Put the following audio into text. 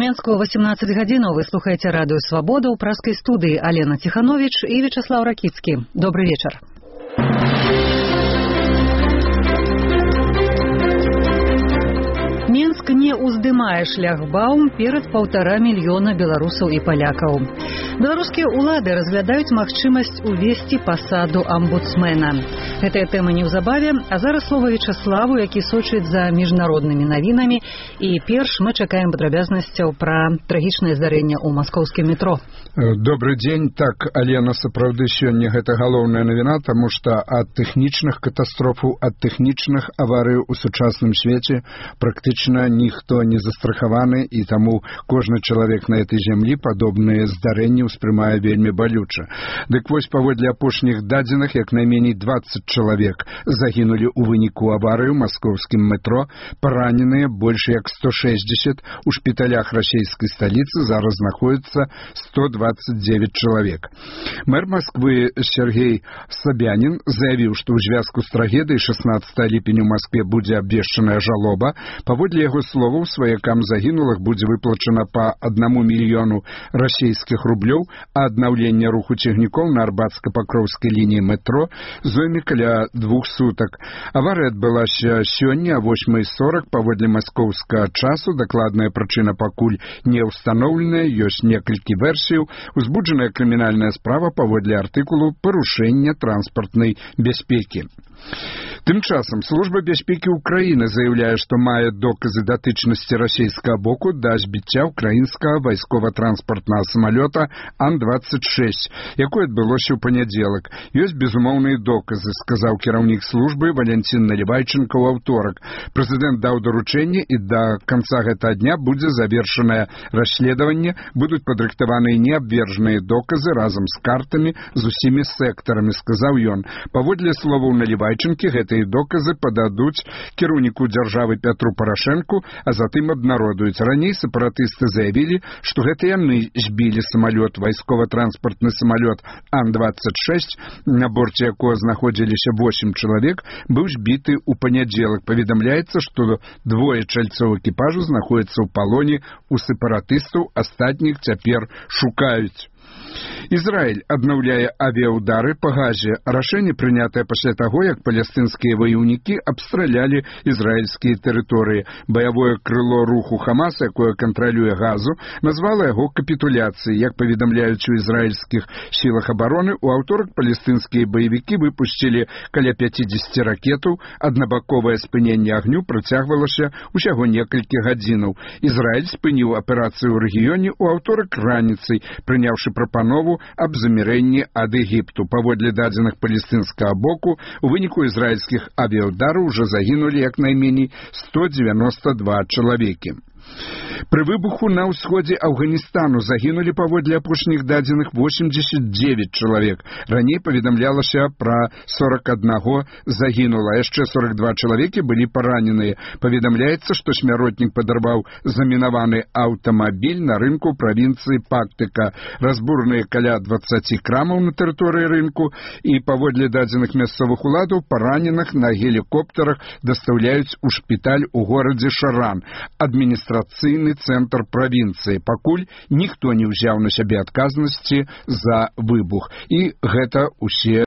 Менску 18 гадзінаў. Вы слухаеце радыё «Свабода» ў праскай студыі Алена Ціхановіч і Вячаслав Ракіцкі. Добрый вечар. Менск не ўздымае шляхбаум перад 1,5 мільёна беларусаў і палякаў. Беларускія ўлады разглядаюць магчымасць увесці пасаду амбудсмена. Гэтая тэма неўзабаве, а зараз слова Вячаславу, які сочыць за міжнароднымі навінамі. І перш мы чакаем падрабязнасцяў пра трагічнае здарэнне ў маскоўскім метро. Добрый дзень. Так, Алена, сапраўды сёння гэта галоўная навіна, таму што ад тэхнічных катастрофаў, ад тэхнічных аварый у сучасным свеце практычна ніхто не застрахаваны, і таму кожны чалавек на этой зямлі падобныя здарэнні ўспрымае вельмі балюча. Дык вось, паводле апошніх дадзеных, як найменей 20 чалавек загінулі ў выніку аварыі ў маскоўскім метро, параненыя больш як 160, у шпіталях расійскай сталіцы зараз знаходзіцца 129 чалавек. Мэр Москвы Сергей Собянин заявіў, што ў звязку з трагедыяй 16 ліпеня ў Москве будзе абвешчаная жалоба. Паводле яго словаў, сваякам загінулых будзе выплачана па 1 мільёну расійскіх рублёў, а аднаўленне руху цягнікоў на Арбатска-Пакроўскай лініі метро зойме каля 2 сутак. Аварыя адбылася сёння о 8:40 паводле маскоўскага часу. Дакладная прычына пакуль не ўстаноўленая, ёсць некалькі версіяў. Узбуджаная крымінальная справа паводле артыкулу «Парушэнне транспартнай бяспекі». Тым часам Служба бяспекі Украіны заяўляе, што мае доказы датычнасці расійскага боку да збіцця ўкраінскага вайскова-транспартнага самалёта Ан-26, якое адбылося ў панядзелак. Ёсць безумоўныя доказы, сказаў кіраўнік службы Валянцін Наливайченко ў аўторак. Прэзідэнт даў даручэнне, і да канца гэтага дня будзе завершанае расследаванне, будуць падрыхтаваныя неабвержаныя доказы разам з картамі з усімі сектарамі, сказаў ён. Паводле словаў Наливайченкі, гэтыя доказы пададуць кіраўніку дзяржавы Пятру Парашэнку, а затым абнародуюць. Раней сепаратысты заявілі, што гэта яны збілі самалёт, вайскова-транспартны самалёт Ан-26, на борце якога знаходзіліся 8 чалавек, быў збіты ў панядзелак. Паведамляецца, што 2 чальцоў экіпажу знаходзяцца ў палоне у сепаратыстаў, астатніх цяпер шукаюць. Ізраіль аднаўляе авіяўдары па Газе. Рашэнне прынятае пасля таго, як палестынскія ваяўнікі абстралялі ізраільскія тэрыторыі. Баявое крыло руху Хамас, якое кантралюе Газу, назвала яго капітуляцыяй. Як паведамляюць у ізраільскіх сілах абароны, у аўторак палестынскія баевікі выпусцілі каля 50 ракетаў. Аднабаковае спыненне агню працягвалася ўсяго некалькі гадзінаў. Ізраіль спыніў аперацыю ў рэгіёне ў аўторак раніцай, прыняўшы прапанову аб замірэнні ад Егіпту. Паводле дадзеных палестынскага боку, у выніку ізраільскіх авіяўдараў уже загінулі як найменей 192 чалавекі. Пры выбуху на ўсходзе Афганістану загінулі паводле апошніх дадзеных 89 чалавек. Раней паведамлялася пра 41 загінула, яшчэ 42 чалавекі былі параненыя. Паведамляецца, што смяротнік падарваў замінаваны аўтамабіль на рынку правінцыі Пактыка. Разбурныя каля 20 крамаў на тэрыторыі рынку, і паводле дадзеных мясцовых уладаў параненых на гелікоптарах дастаўляюць у шпіталь у горадзе Шаран, адміністрацыйны цэнтр правінцыі. Пакуль ніхто не ўзяў на сябе адказнасці за выбух. І гэта ўсе